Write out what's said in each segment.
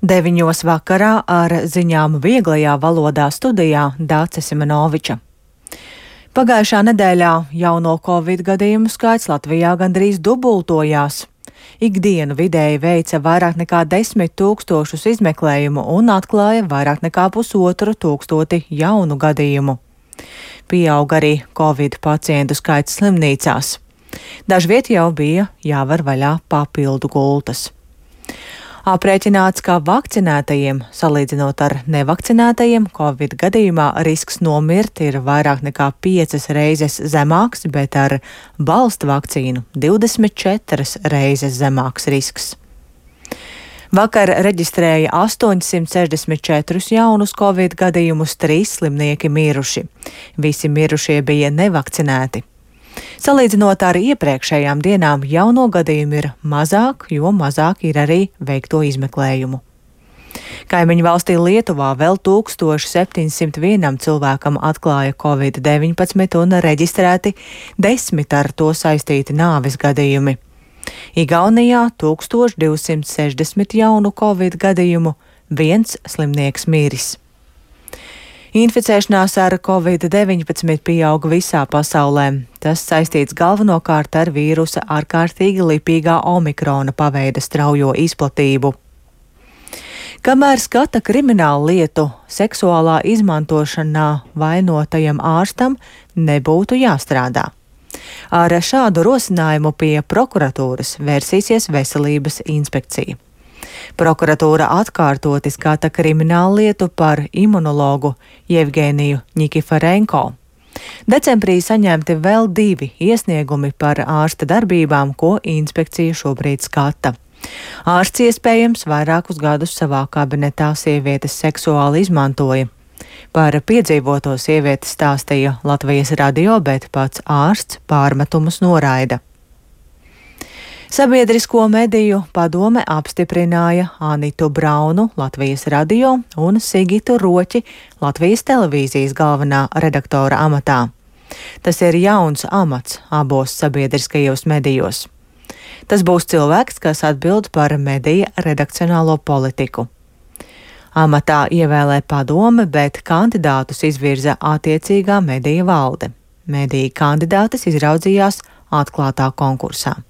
9 vakarā ar ziņām vieglajā valodā studijā Dāce Simenoviča. Pagājušā nedēļā jauno Covid gadījumu skaits Latvijā gandrīz dubultojās. Ikdienu vidēji veica vairāk nekā 10 000 izmeklējumu un atklāja vairāk nekā 1500 jaunu gadījumu. Pieaug arī Covid pacientu skaits slimnīcās. Dažviet jau bija jāvar vaļā papildu gultas. Aprēķināts, ka vakcinētajiem, salīdzinot ar nevakcinētajiem, Covid gadījumā risks nomirt ir vairāk nekā 5 reizes zemāks, bet ar balstu vakcīnu 24 reizes zemāks risks. Vakar reģistrēja 864 jaunus Covid gadījumus, 3 slimnieki miruši. Visi mirušie bija nevakcinēti. Salīdzinot ar iepriekšējām dienām, jauno gadījumu ir mazāk, jo mazāk ir arī veikto izmeklējumu. Kaimiņu valstī Lietuvā vēl 1701 cilvēkam atklāja Covid-19 un reģistrēti 10 ar to saistīti nāves gadījumi. Igaunijā 1260 jaunu Covid gadījumu, 1 slimnieks miris. Inficēšanās ar Covid-19 pieaug visā pasaulē. Tas saistīts galvenokārt ar vīrusa ārkārtīgi lipīgā omikrona paveida straujo izplatību. Kamēr skata kriminālu lietu, seksuālā izmantošanā vainotajam ārstam nebūtu jāstrādā. Ar šādu rosinājumu pie prokuratūras vērsīsies Veselības inspekcija. Prokuratūra atkārtoti skata kriminālu lietu par imunologu Jevgeniju Ņikiforenko. Decembrī saņemti vēl 2 iesniegumi par ārsta darbībām, ko inspekcija šobrīd skata. Ārsts iespējams vairākus gadus savā kabinetā sievietes seksuāli izmantoja. Par piedzīvoto sieviete stāstīja Latvijas radio, bet pats ārsts pārmetumus noraida. Sabiedrisko mediju padome apstiprināja Anitu Braunu Latvijas radio un Sigitu Roķi Latvijas televīzijas galvenā redaktora amatā. Tas ir jauns amats abos sabiedriskajos medijos. Tas būs cilvēks, kas atbild par medija redakcionālo politiku. Amatā ievēlē padome, bet kandidātus izvirza attiecīgā medija valde. Mediju kandidātes izraudzījās atklātā konkursā.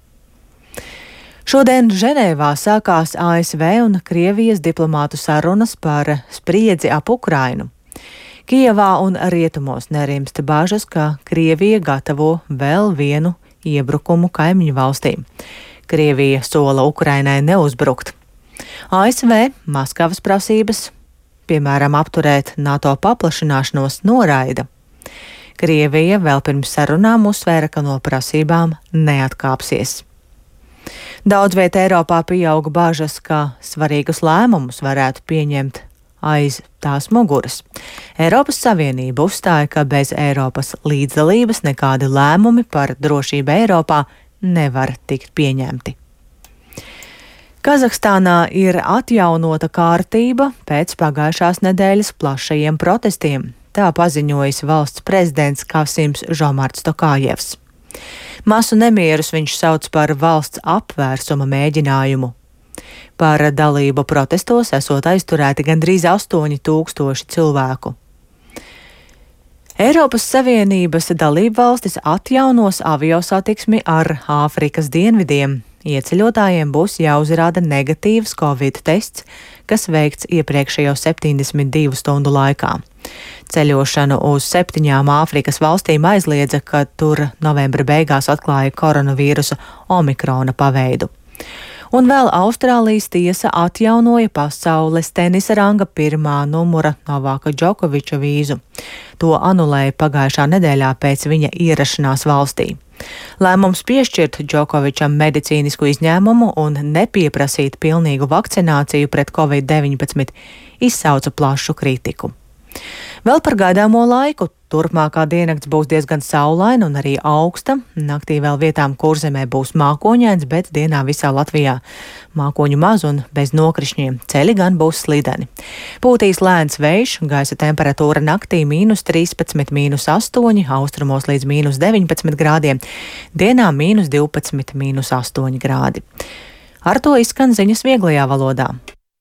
Šodien Ženēvā sākās ASV un Krievijas diplomātu sarunas par spriedzi ap Ukrainu. Kijevā un rietumos nerimst bažas, ka Krievija gatavo vēl vienu iebrukumu kaimiņu valstīm. Krievija sola Ukrainai neuzbrukt. ASV Maskavas prasības, piemēram, apturēt NATO paplašināšanos, noraida. Krievija vēl pirms sarunām uzsvēra, ka no prasībām neatkāpsies. Daudz viet Eiropā pieauga bažas, ka svarīgus lēmumus varētu pieņemt aiz tās muguras. Eiropas Savienība uzstāja, ka bez Eiropas līdzdalības nekādi lēmumi par drošību Eiropā nevar tikt pieņemti. Kazahstānā ir atjaunota kārtība pēc pagājušās nedēļas plašajiem protestiem. Tā paziņojis valsts prezidents Kasims Žomarts Tokājevs. Masu nemierus viņš sauc par valsts apvērsuma mēģinājumu. Par dalību protestos esot aizturēti gandrīz 8000 cilvēku. Eiropas Savienības dalībvalstis atjaunos aviosatiksmi ar Āfrikas dienvidiem. Ieceļotājiem būs jāuzrāda negatīvs Covid tests, kas veikts iepriekšējo 72 stundu laikā. Ceļošanu uz 7 Āfrikas valstīm aizliedza, kad tur novembra beigās atklāja koronavīrusa omikrona paveidu. Un vēl Austrālijas tiesa atjaunoja pasaules tenisa ranga 1. numura Novaka Džokoviča vīzu. To anulēja pagājušā nedēļā pēc viņa ierašanās valstī. Lēmums piešķirt Džokovičam medicīnisku izņēmumu un nepieprasīt pilnīgu vakcināciju pret Covid-19 izsauca plašu kritiku. Vēl par gaidāmo laiku. Turpmākā diennakts būs diezgan saulaina un arī augsta. Naktī vēl vietām Kurzemē būs mākoņains, bet dienā visā Latvijā mākoņu maz un bez nokrišņiem. Ceļi gan būs slideni. Pūtīs lēns vējš, gaisa temperatūra naktī -13, -8, austrumos līdz -19 grādiem, dienā -12, -8 grādi. Ar to izskan ziņas vieglajā valodā.